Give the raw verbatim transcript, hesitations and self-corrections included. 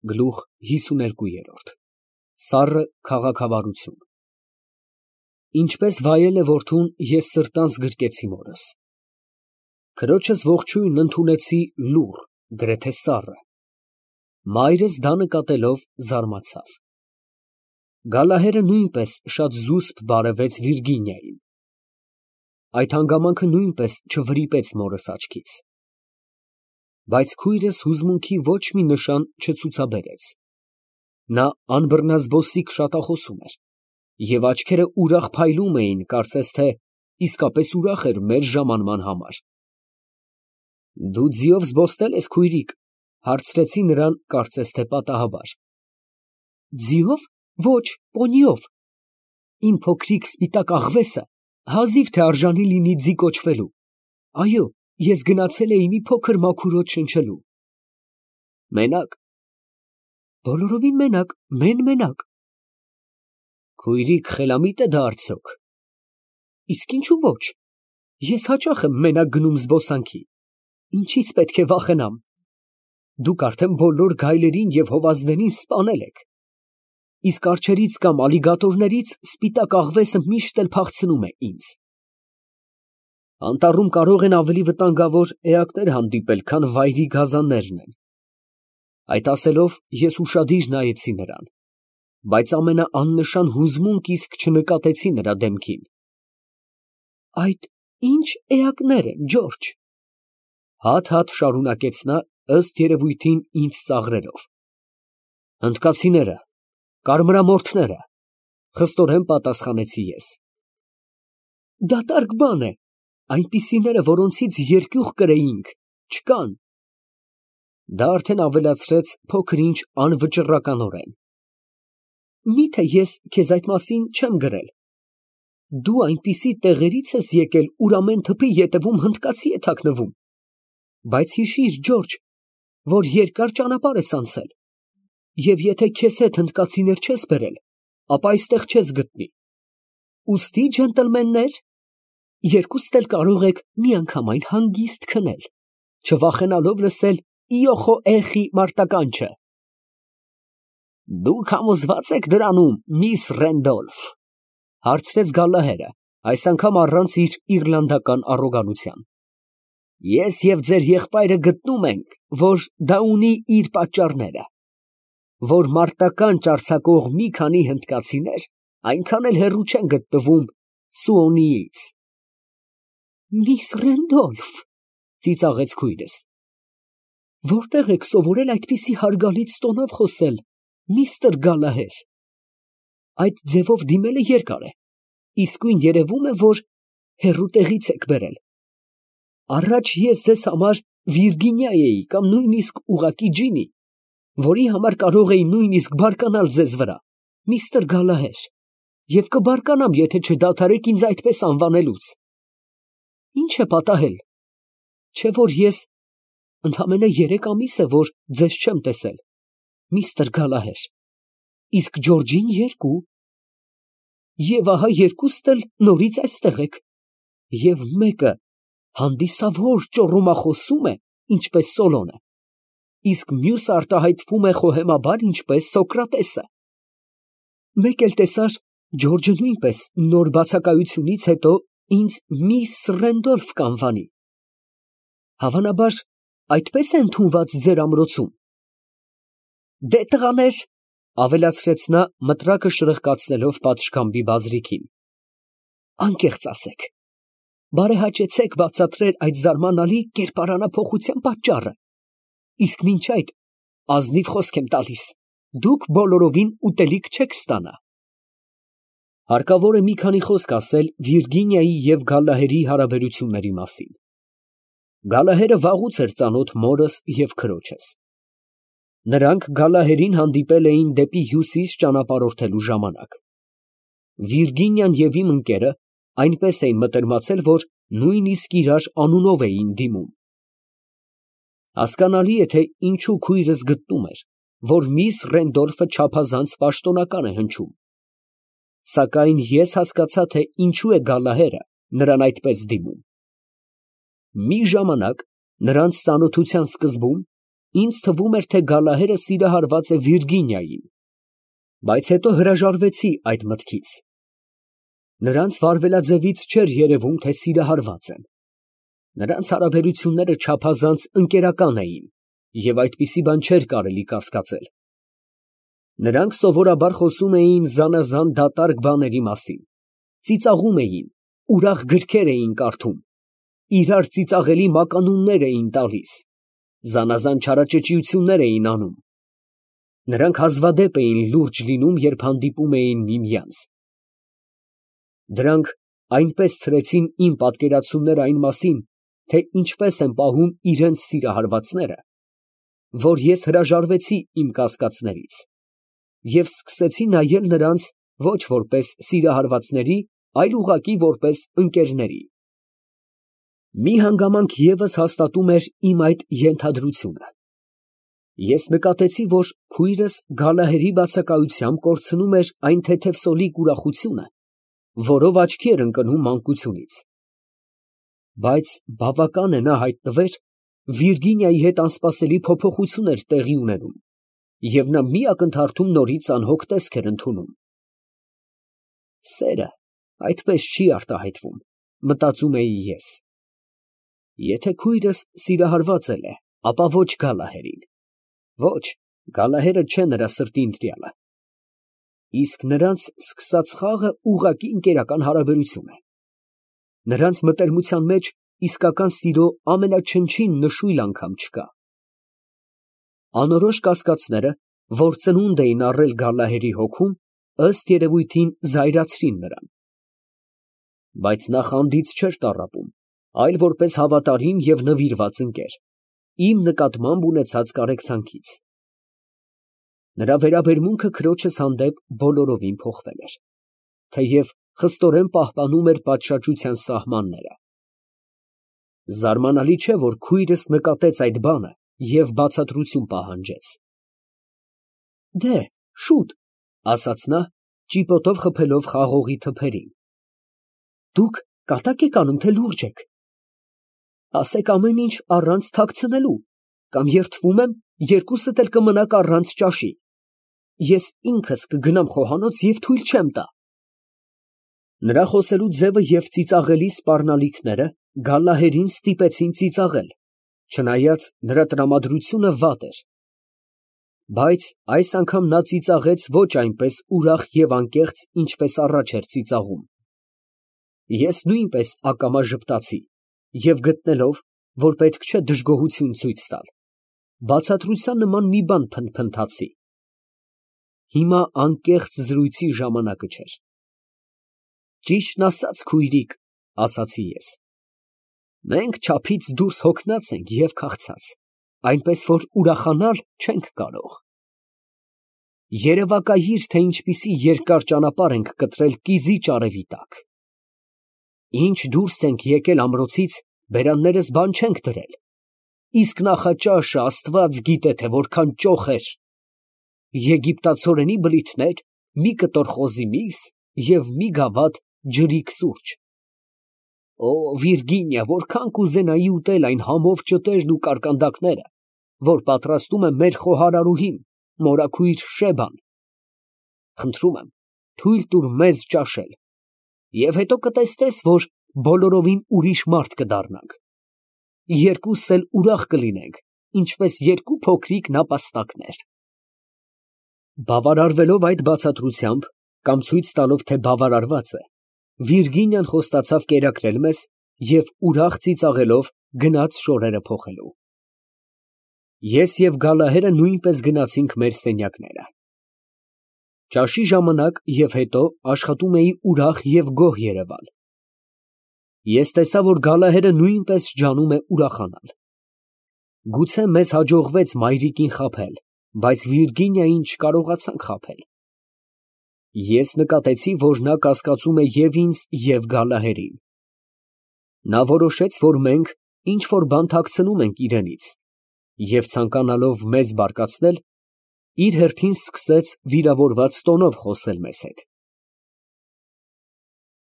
Գլուխ հիսուներկու Սառը քաղաքավարություն Ինչպես վայել է որդուն, ես սրտանց գրկեցի մորս։ Քրոջս ողջույնն ընդունեցի լուռ, գրեթե սառը։ Մայրս դա նկատելով զարմացավ։ Գալահերը նույնպես շատ զուսպ բարևեց Վիրգինիային։ Այդ հանգամանքը նույնպես չվրիպեց մորս աչքից։ Բայց քույրս հուզմունքի ոչ մի նշան չցուցաբերեց։ Նա անբռնազբոսիկ շատախոսում էր, և աչքերը ուրախ փայլում էին, կարծես թե իսկապես ուրախ էր մեր ժամանման համար։ Դու ձիով զբոսնե՞լ ես, քույրիկ, հարցրեցի նրան, կարծես թե պատահաբար։ Ձիով, ոչ, պոնիով։ Իմ փոքրիկ սպիտակ աղվեսը հազիվ թե արժանի լինի ձի կոչվելու։ Այո, ես գնացել էի մի փոքր մաքուր օդ շնչելու։ Մենակ։ Բոլորովին մենակ, մեն֊մենակ։ Քույրիկ, խելամիտ է դա արդյոք։ Իսկ ինչու ոչ։ Ես հաճախ եմ մենակ գնում զբոսանքի։ Ինչից պետք է վախենամ։ Դուք արդեն բոլոր գայլերին և հովազներին սպանել եք։ Իսկ արջերից կամ ալիգատորներից սպիտակ աղվեսը միշտ էլ փախցնում է ինձ։ Անտառում կարող են ավելի վտանգավոր էակներ հանդիպել, քան վայրի գազաններն են։ Այդ ասելով ես ուշադիր նայեցի նրան, բայց ամենաաննշան հուզմունք իսկ չնկատեցի նրա դեմքին։ Այդ ի՞նչ էակներ են, Ջորջ։ Հատ֊հատ շարունակեց նա, ըստ երևույթին ինձ ծաղրելով։ Հնդկացիները, կարմրամորթները, խստորեն պատասխանեցի ես։ Դատարկ բան է, այնպիսիները, որոնցից երկյուղ կրեինք, չկան։ Դա արդեն ավելացրեց փոքր-ինչ անվճռականորեն։ Միթե ես քեզ այդ մասին չեմ գրել։ Դու այնպիսի տեղերից ես եկել, ուր ամեն թփի ետևում հնդկացի է թաքնվում։ Բայց հիշիր, Ջորջ, որ երկար ճանապարհ ես անցել, և եթե քեզ հետ հնդկացիներ չես բերել, ապա այստեղ չես գտնի։ Ուստի, ջենտլմեններ, երկուստ էլ կարող եք միանգամայն հանգիստ քնել, չվախենալով լսել իոխո էխի մարտականչը։ Դուք համոզվա՞ծ եք դրանում, միս Ռենդոլֆ, հարցրեց Գալլահերը, այս անգամ առանց իր իռլանդական առոգանության։ Ես և ձեր եղբայրը գտնում ենք, որ դա ունի իր պատճառները, որ մարտականջ արձակող մի քանի հնդկացիներ այնքան էլ հեռու չեն գտնվում Սուոնիից։ Միս Ռենդոլֆ, ծիծաղեց քույրս, որտե՞ղ եք սովորել այդպիսի հարգալից տոնով խոսել, միստր Գալլահեր։ Այդ ձևով դիմելը երկար է, իսկույն երևում է, որ հեռու տեղից եք բերել։ Առաջ ես ձեզ համար Վիրգինիա էի կամ նույնիսկ ուղղակի Ջինի, որի համար կարող էի նույնիսկ բարկանալ ձեզ վրա, միստր Գալլահեր, և կբարկանամ, եթե չդադարեք ինձ այդպես անվանելուց։ Ինչ է պատահել, չէ՞ որ ես ընդամենը երեք ամիս է, որ ձեզ չեմ տեսել, միստր Գալլահեր, իսկ Ջորջին երկու, և ահա երկուստ էլ նորից այստեղ եք, և մեկը հանդիսավոր ճոռոմախոսում է, ինչպես Սոլոնը, իսկ մյուսը արտահայտվում է խոհեմաբար, ինչպես Սոկրատեսը։ Մեկ էլ տեսար, Ջորջը նույնպես նոր բացակայությունից հետո ինձ միս Ռենդոլֆ կանվանի։ Հավանաբար այդպես է ընդունված ձեր ամրոցում։ Դե տղաներ, ավելացրեց նա, մտրակը շրխկացնելով պատշգամբի բազրիքին, անկեղծ ասեք, բարեհաճեցեք բացատրել այդ զարմանալի կերպարանափոխության պատճառը, իսկ մինչ այդ ազնիվ խոսք եմ տալիս, դուք բոլորովին ուտելիք չեք ստանա։ Հարկավոր է մի քանի խոսք ասել Վիրգինիայի և Գալլահերի հարաբերությունների մասին։ Գալլահերը վաղուց էր ծանոթ մորս և քրոջս։ Նրանք Գալլահերին հանդիպել էին դեպի հյուսիս ճանապարհորդելու ժամանակ։ Վիրգինիան և իմ ընկերը այնպես էին մտերմացել, որ նույնիսկ իրար անունով էին դիմում։ Հասկանալի է, թե ինչու քույրս գտնում էր, որ միս Ռենդոլֆը չափազանց պաշտոնական է հնչում։ Սակայն ես հասկացա, թե ինչու է Գալլահերը նրան այդպես դիմում։ Մի ժամանակ, նրանց ծանոթության սկզբում, ինձ թվում էր, թե Գալահերը սիրահարված է Վիրգինիային, բայց հետո հրաժարվեցի այդ մտքից. նրանց վարվելաձևից չէր երևում, թե սիրահարված են. նրանց հարաբերությունները չափազանց ընկերական էին, և այդպիսի բան չէր կարելի կասկածել. նրանք սովորաբար խոսում էին զանազան դատարկ բաների մասին, ծիծաղում էին, ուրախ գրքեր էին կարդում, իրար ծիծաղելի մականուններ էին տալիս, զանազան չարաճճիություններ էին անում. նրանք հազվադեպ էին լուրջ լինում, երբ հանդիպում էին միմյանց. դրանք այնպես ցրեցին իմ պատկերացումները այն մասին, թե ինչպես են պահում իրենց սիրահարվածները, որ ես հրաժարվեցի իմ կասկածներից և սկսեցի նայել նրանց ոչ որպես սիրահարվածների, այլ ուղղակի որպես ընկերների։ Մի հանգամանք ևս հաստատում էր իմ այդ ենթադրությունը. ես նկատեցի, որ քույրս Գալահերի բացակայությամբ կորցնում էր այն թեթևսոլիկ ուրախությունը, որով աչքի էր ընկնում մանկությունից, բայց բավական է նա հայտնվեր, Վիրգինիայի հետ անսպասելի փոփոխություն էր տեղի ունենում, և նա մի ակնթարթում նորից անհոգ տեսք էր ընդունում։ Սերը այդպես չի արտահայտվում, մտածում էի ես. եթե քույրս սիրահարված էլ է, ապա ոչ Գալահերին, ոչ, Գալահերը չէ նրա սրտի ընտրյալը, իսկ նրանց սկսած խաղը ուղղակի ընկերական հարաբերություն է, նրանց մտերմության մեջ իսկական սիրո ամենաչնչին նշույլ անգամ չկա։ Անորոշ կասկածները, որ ծնունդ էին առել Գալահերի հոգում, ըստ երևույթին զայրացրին նրան, բայց նա խանդից չէր տառապում, այլ որպես հավատարիմ և նվիրված ընկեր, իմ նկատմամբ ունեցած կարեկցանքից։ Նրա վերաբերմունքը քրոջս հանդեպ բոլորովին փոխվել էր, թեև խստորեն պահպանում էր պատշաճության սահմանները։ Զարմանալի չէ, որ քույրս նկատեց այդ բանը և բացատրություն պահանջեց։ Դե, շուտ, ասաց նա, ճիպոտով խփելով խաղողի թփերին, դուք կատա՞կ եք անում, թե լուրջ եք։ Ասեք ամեն ինչ առանց թաքցնելու, կամ երդվում եմ, երկուսդ էլ կմնաք առանց ճաշի, ես ինքս կգնամ խոհանոց և թույլ չեմ տա։ Նրա խոսելու ձևը և ծիծաղելի սպառնալիքները Գալահերին ստիպեցին ծիծաղել, չնայած նրա տրամադրությունը վատ էր, բայց այս անգամ նա ծիծաղեց ոչ այնպես ուրախ և անկեղծ, ինչպես առաջ էր ծիծաղում։ Ես նույնպես ակամա ժպտացի և գտնելով, որ պետք չէ դժգոհություն ցույց տալ, բացատրության նման մի բան փնթփնթացի։ Հիմա անկեղծ զրույցի ժամանակը չէր։ Ճիշտն ասած, քույրիկ, ասացի ես, մենք չափից դուրս հոգնած ենք և քաղցած, այնպես որ ուրախանալ չենք կարող։ Երևակայիր, թե ինչպիսի երկար ճանապարհ ենք կտրել կիզիչ արևի տակ։ Ինչ դուրս ենք եկել ամրոցից, բերաններս բան չենք դրել, իսկ նախաճաշը Աստված գիտե, թե որքան ճոխ էր, եգիպտացորենի բլիթներ, մի կտոր խոզի միս և մի գավաթ ջրիկ սուրճ։ Օ, Վիրգինիա, որքան կուզենայի ուտել այն համով ճտերն ու կարկանդակները, որ պատրաստում է մեր խոհարարուհին, մորաքույր Շեբան։ Խնդրում եմ, թույլ տուր մեզ ճաշել, և հետո կտեսնես, որ բոլորովին ուրիշ մարդ կդառնանք, երկուսս էլ ուրախ կլինենք, ինչպես երկու փոքրիկ նապաստակներ։ Բավարարվելով այդ բացատրությամբ, կամ ցույց տալով, թե բավարարված է, Վիրգինիան խոստացավ կերակրել մեզ և ուրախ ծիծաղելով գնաց շորերը փոխելու։ Ես և Գալահերը նույնպես գնացինք մեր սենյակները։ Ճաշի ժամանակ և հետո աշխատում էի ուրախ և գոհ երևալ։ Ես տեսա, որ Գալահերը նույնպես ջանում է ուրախանալ։ Գուցե մեզ հաջողվեց մայրիկին խաբել, բայց Վիրգինիային չկարողացանք խաբել։ Ես նկատեցի, որ նա կասկածում է և ինձ, և Գալահերին։ Նա որոշեց, որ մենք ինչ֊որ բան թաքցնում ենք իրենից, և ցանկանալով մեզ բարկացնել, իր հերթին սկսեց վիրավորված տոնով խոսել մեզ հետ։